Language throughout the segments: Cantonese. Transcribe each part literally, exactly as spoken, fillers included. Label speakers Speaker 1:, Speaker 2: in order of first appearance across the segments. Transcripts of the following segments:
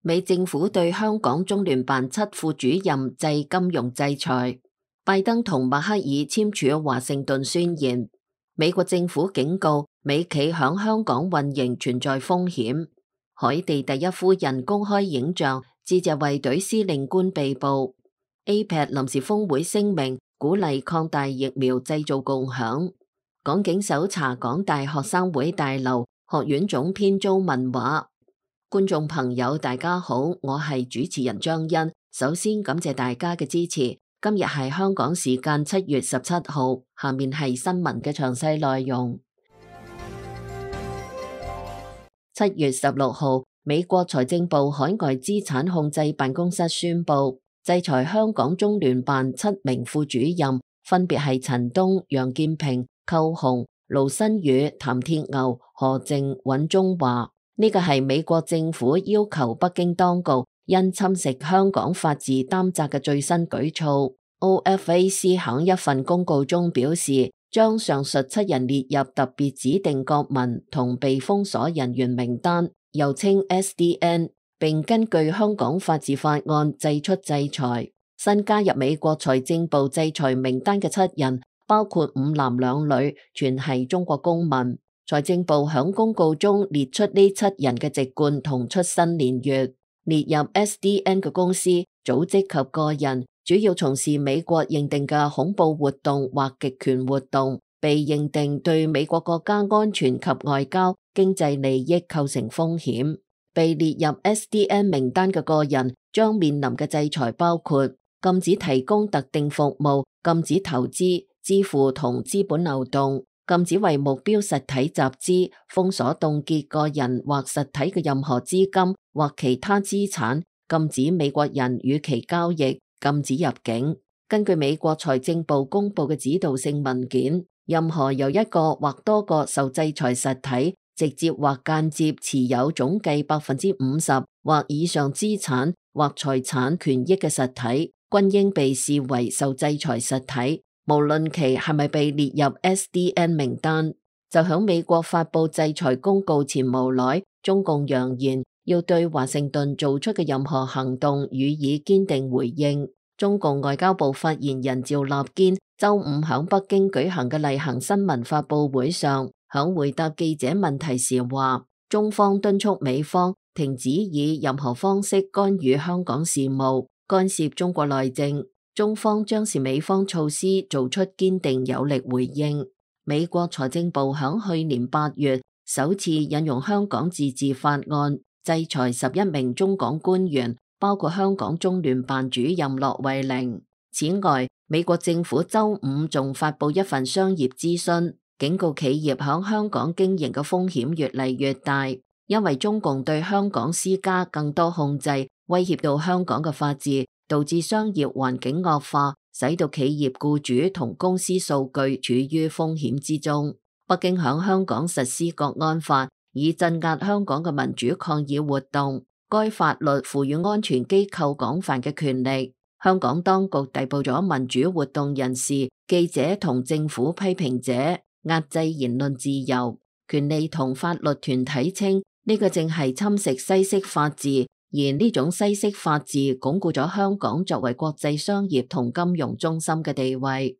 Speaker 1: 美政府對香港中聯辦七副主任制金融制裁，拜登同默克爾簽署華盛頓宣言。美國政府警告美企響香港運營存在風險。海地第一夫人公開影像，致謝衛隊司令官被捕。A P E C 臨時峰會聲明鼓勵擴大疫苗製造共享。港警搜查港大學生會大樓，學院總編遭問話。觀眾朋友大家好，我係主持人張欣。首先感謝大家嘅支持。今日係香港時間七月十七號，下面係新聞嘅詳細內容。七月十六號，美國財政部海外資產控制辦公室宣布制裁香港中聯辦七名副主任，分別係陳東、楊建平、寇鴻、盧新宇、譚鐵牛、何靖、尹中華。呢個係美國政府要求北京當局因侵蝕香港法治擔責嘅最新舉措。O F A C 喺一份公告中表示，將上述七人列入特別指定國民同被封鎖人員名單，又稱 S D N， 並根據香港法治法案祭出制裁。新加入美國財政部制裁名單嘅七人，包括五男兩女，全係中國公民。財政部響公告中列出呢七人嘅籍貫同出生年月。列入 S D N 嘅公司、組織及個人，主要從事美國認定嘅恐怖活動或極權活動，被認定對美國國家安全及外交、經濟利益構成風險。被列入 S D N 名單嘅個人將面臨嘅制裁包括禁止提供特定服務、禁止投資、支付同資本流動、禁止為目標實體集資、封鎖凍結個人或實體嘅任何資金或其他資產、禁止美國人與其交易、禁止入境。根據美國財政部公布嘅指導性文件，任何由一個或多個受制裁實體直接或間接持有總計百分之五十或以上資產或財產權益嘅實體，均應被視為受制裁實體。無論其係咪被列入 S D N 名單。就響美國發布制裁公告前無耐，中共揚言要對華盛頓做出嘅任何行動予以堅定回應。中共外交部發言人趙立堅周五響北京舉行嘅例行新聞發布會上，響回答記者問題時話，中方敦促美方停止以任何方式干預香港事務，干涉中國內政。中方將視美方措施做出堅定有力回應。美國財政部響去年八月首次引用香港自治法案，制裁十一名中港官員，包括香港中聯辦主任駱惠寧。此外，美國政府周五仲發布一份商業諮詢，警告企業響香港經營嘅風險越嚟越大，因為中共對香港施加更多控制，威脅到香港嘅法治，導致商業環境惡化，使到企業僱主同公司數據處於風險之中。北京響香港實施國安法，以鎮壓香港嘅民主抗議活動。該法律賦予安全機構廣泛嘅權力。香港當局逮捕咗民主活動人士、記者同政府批評者，壓制言論自由。權利同法律團體稱，呢個正係侵蝕西式法治。而呢種西式法治鞏固咗香港作為國際商業同金融中心嘅地位。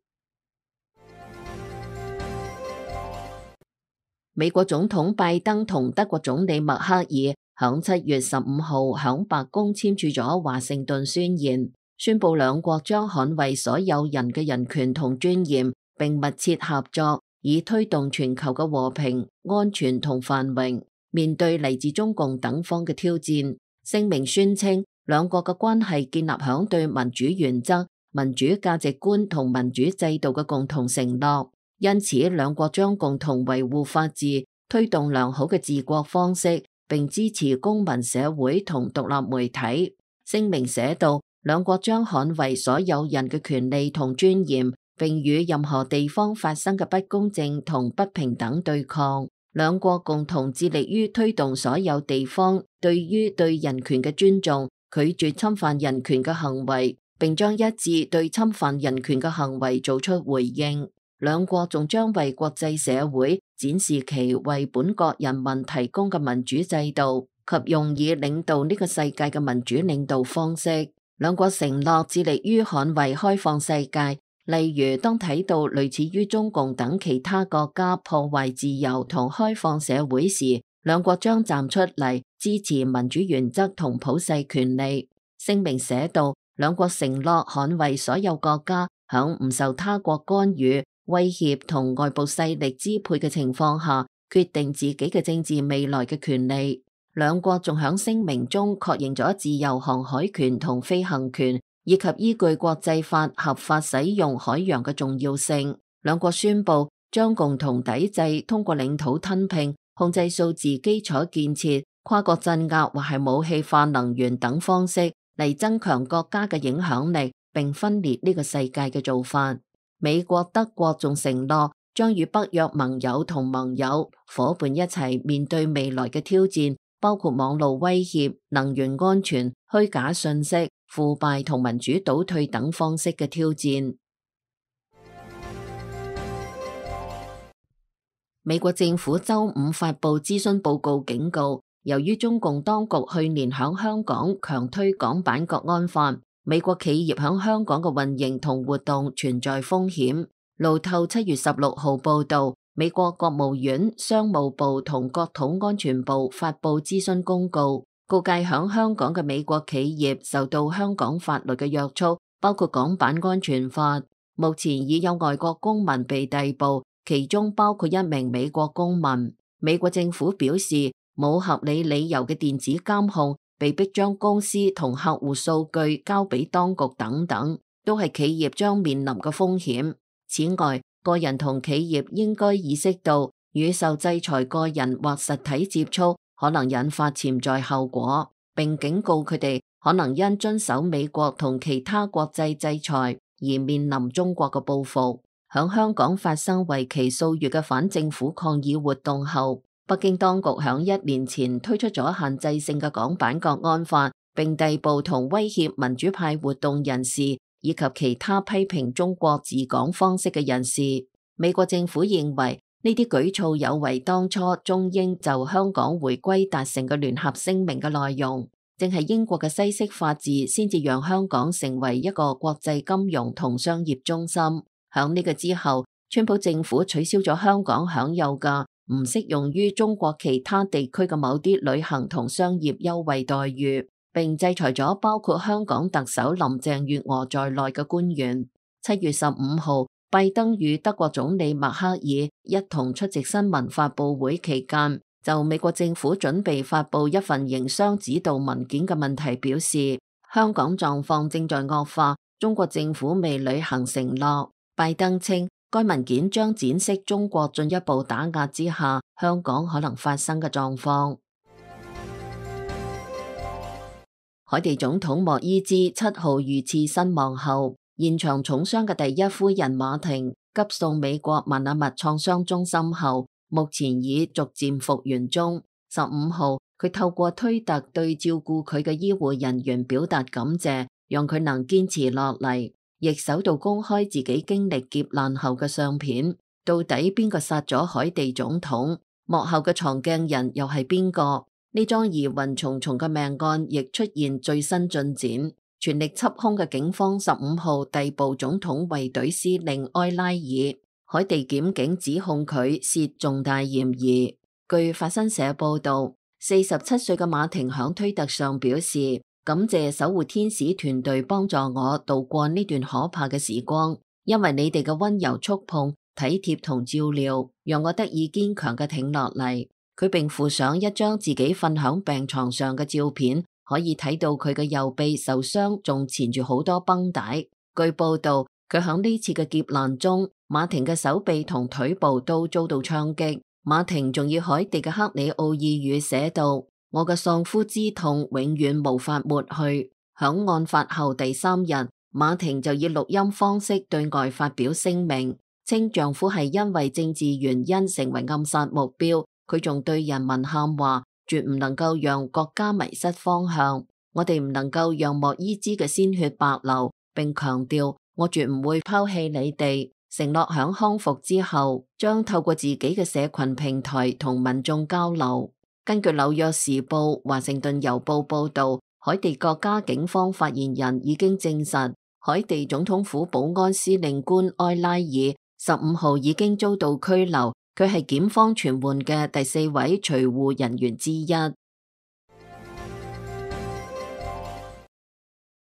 Speaker 1: 美國總統拜登同德國總理默克爾響七月十五號響白宮簽署咗華盛頓宣言，宣布兩國將捍衛所有人嘅人權同尊嚴，並密切合作，以推動全球嘅和平、安全同繁榮。面對嚟自中共等方嘅挑戰，聲明宣稱，兩國嘅關係建立響對民主原則、民主價值觀同民主制度嘅共同承諾，因此兩國將共同維護法治，推動良好嘅治國方式，並支持公民社會同獨立媒體。聲明寫道，兩國將捍衛所有人嘅權利同尊嚴，並與任何地方發生嘅不公正同不平等對抗。兩國共同致力於推動所有地方對於對人權嘅尊重，拒絕侵犯人權嘅行為，並將一致對侵犯人權嘅行為做出回應。兩國仲將為國際社會展示其為本國人民提供嘅民主制度，及用以領導呢個世界嘅民主領導方式。兩國承諾致力於捍衛開放世界，例如當睇到類似於中共等其他國家破壞自由同開放社會時，兩國將站出嚟支持民主原則同普世權利。聲明寫道，兩國承諾捍衛所有國家響唔受他國干預、威脅同外部勢力支配嘅情況下，決定自己嘅政治未來嘅權利。兩國仲響聲明中確認咗自由航海權同飛行權，以及依據國際法合法使用海洋嘅重要性。兩國宣布將共同抵制通過領土吞併、控制數字基礎建設、跨國鎮壓或係武器化能源等方式嚟增強國家嘅影響力，並分裂呢個世界嘅做法。美國、德國仲承諾將與北約盟友同盟友夥伴一齊面對未來嘅挑戰，包括網絡威脅、能源安全、虛假信息、腐敗同民主倒退等方式嘅挑戰。美國政府周五發布諮詢報告，警告由於中共當局去年響香港強推港版國安法，美國企業響香港嘅運營同活動存在風險。路透七月十六號報道，美國國務院、商務部同國土安全部發布諮詢公告，告誡響香港嘅美國企業受到香港法律嘅約束，包括港版安全法。目前已有外國公民被逮捕，其中包括一名美國公民。美國政府表示，冇合理理由嘅電子監控、被迫將公司同客戶數據交俾當局等等，都係企業將面臨嘅風險。此外，個人同企業應該意識到，與受制裁個人或實體接觸可能引發潛在後果，並警告佢哋可能因遵守美國同其他國際制裁而面臨中國嘅報復。響香港發生為期數月嘅反政府抗議活動後，北京當局響一年前推出咗限制性嘅港版國安法，並逮捕同威脅民主派活動人士以及其他批評中國治港方式嘅人士。美國政府認為呢啲舉措有違當初中英就香港回歸達成嘅聯合聲明嘅內容，正係英國嘅西式法治先至讓香港成為一個國際金融同商業中心。響呢個之後，川普政府取消咗香港享有嘅唔適用於中國其他地區嘅某啲旅行同商業優惠待遇，並制裁咗包括香港特首林鄭月娥在內嘅官員。七月十五號，拜登與德國總理默克爾一同出席新聞發佈會期間，就美國政府準備發佈一份營商指導文件嘅問題表示，香港狀況正在惡化，中國政府未履行承諾。拜登稱，該文件將展示中國進一步打壓之下，香港可能發生嘅狀況。海地總統莫伊茲七號遇刺身亡後，現場重傷嘅第一夫人馬婷急送美國邁阿密創傷中心後，目前已逐漸復原中。十五號，佢透過推特對照顧佢嘅醫護人員表達感謝，讓佢能堅持落嚟。亦首度公開自己經歷劫難後嘅相片，到底邊個殺咗海地總統？幕後嘅藏鏡人又係邊個？呢樁疑雲重重嘅命案亦出現最新進展，全力緝兇嘅警方十五號逮捕總統衛隊司令埃拉爾，海地檢警指控佢涉重大嫌疑。據法新社報道，四十七歲嘅馬婷響推特上表示，感謝守護天使團隊幫助我度過呢段可怕嘅時光，因為你哋嘅溫柔觸碰、體貼同照料，讓我得以堅強嘅挺落嚟。佢並附上一張自己瞓響病床上嘅照片，可以睇到佢嘅右臂受傷，仲纏住好多繃帶。據報道，佢響呢次嘅劫難中，馬婷嘅手臂同腿部都遭到槍擊。馬婷仲以海地嘅克里奧爾語寫道：我嘅喪夫之痛永遠無法抹去。響案發後第三日，馬婷就以錄音方式對外發表聲明，稱丈夫係因為政治原因成為暗殺目標。佢仲對人民喊話，絕唔能夠讓國家迷失方向。我哋唔能夠讓莫伊茲嘅鮮血白流，並強調我絕唔會拋棄你哋，承諾響康復之後將透過自己嘅社群平台同民眾交流。根據紐約時報、華盛頓郵報報導，海地國家警方發言人已經證實，海地總統府保安司令官埃拉爾十五號已經遭到拘留，佢係檢方傳喚嘅第四位隨護人員之一。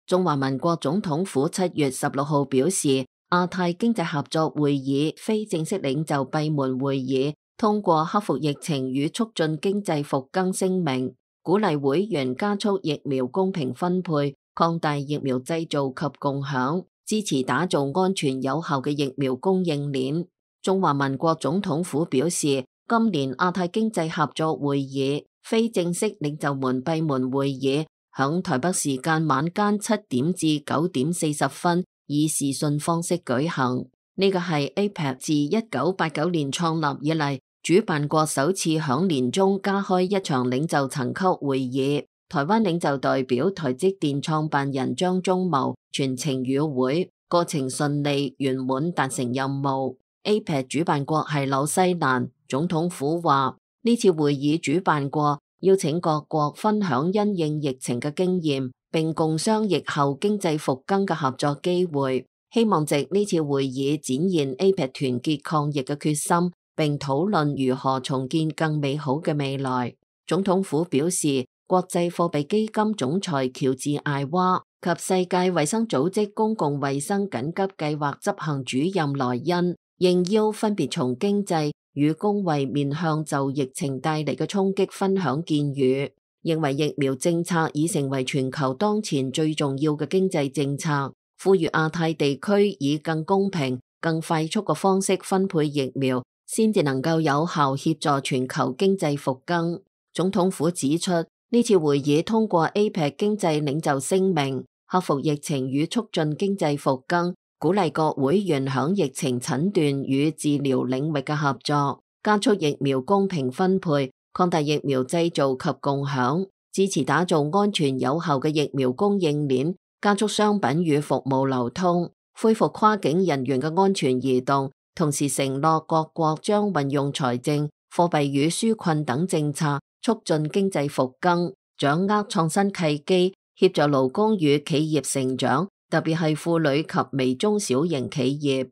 Speaker 1: 中華民國總統府七月十六號表示，亞太經濟合作會議非正式領袖閉門會議通過克服疫情與促進經濟復更聲明，鼓勵會員加速疫苗公平分配，擴大疫苗製造及共享，支持打造安全有效嘅疫苗供應鏈。中華民國總統府表示，今年亞太經濟合作會議非正式領袖們閉門會議響台北時間晚間七點至九點四十分以視訊方式舉行。呢個係 A P E C 自一九八九年創立以嚟，主辦國首次響年中加開一場領袖層級會議。台灣領袖代表台積電創辦人張忠謀全程與會，過程順利圓滿達成任務。A P E C 主辦國係紐西蘭，總統府話呢次會議主辦國邀請各國分享因應疫情嘅經驗，並共商疫後經濟復更嘅合作機會，希望藉呢次會議展現 A P E C 團結抗疫嘅決心，並討論如何重建更美好嘅未來。總統府表示，國際貨幣基金總裁喬治艾娃及世界衛生組織公共衛生緊急計劃執行主任萊恩應邀分別從經濟與公衛面向就疫情帶嚟嘅衝擊分享建議，認為疫苗政策已成為全球當前最重要嘅經濟政策，呼籲亞太地區以更公平、更快速嘅方式分配疫苗，先至能夠有效協助全球經濟復更。總統府指出，呢次會議通過 A P E C 經濟領袖聲明，克服疫情與促進經濟復更，鼓勵各會員響疫情診斷與治療領域嘅合作，加速疫苗公平分配，擴大疫苗製造及共享，支持打造安全有效嘅疫苗供應鏈，加速商品與服務流通，恢復跨境人員嘅安全移動，同時承諾各國將運用財政、貨幣與紓困等政策，促進經濟復更，掌握創新契機，協助勞工與企業成長，特別係婦女及微中小型企業。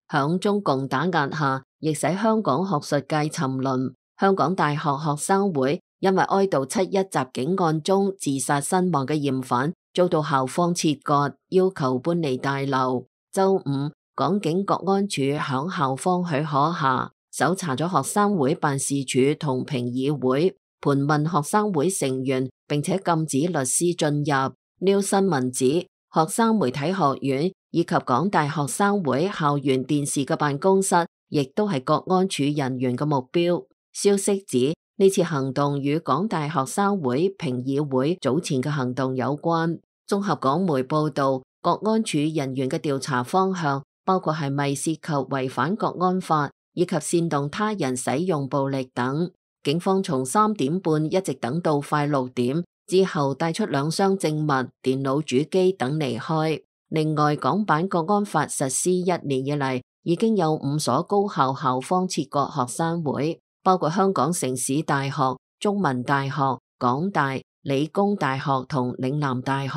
Speaker 1: 響中共打壓下，亦使香港學術界沉淪。香港大學學生會因為哀悼七一襲警案中自殺身亡嘅嫌犯，遭到校方切割，要求搬離大樓。周五，港警國安處響校方許可下，搜查咗學生會辦事處同評議會，盤問學生會成員，並且禁止律師進入。New 新聞指，學生媒體學院以及港大學生會校園電視嘅辦公室，亦都係國安處人員嘅目標。消息指，呢次行動與港大學生會評議會早前嘅行動有關。綜合港媒報道，國安處人員嘅調查方向包括係咪涉及違反國安法，以及煽動他人使用暴力等。警方從三點半一直等到快六點之後，帶出兩箱證物、電腦主機等離開。另外，港版國安法實施一年以嚟，已經有五所高校校方切割學生會，包括香港城市大學、中文大學、港大、理工大學同嶺南大學。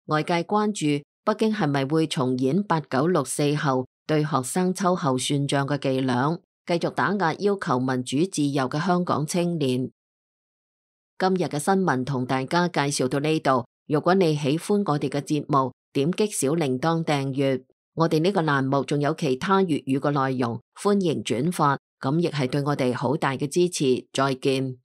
Speaker 1: 外界關注北京係咪會重演八九六四後對學生秋後算賬嘅伎倆，繼續打壓要求民主自由嘅香港青年。今日嘅新聞同大家介紹到呢度。如果你喜歡我哋嘅節目，點擊小鈴鐺訂閱。我哋呢個欄目仲有其他粵語嘅內容，歡迎轉發，咁亦係對我哋好大嘅支持。再見。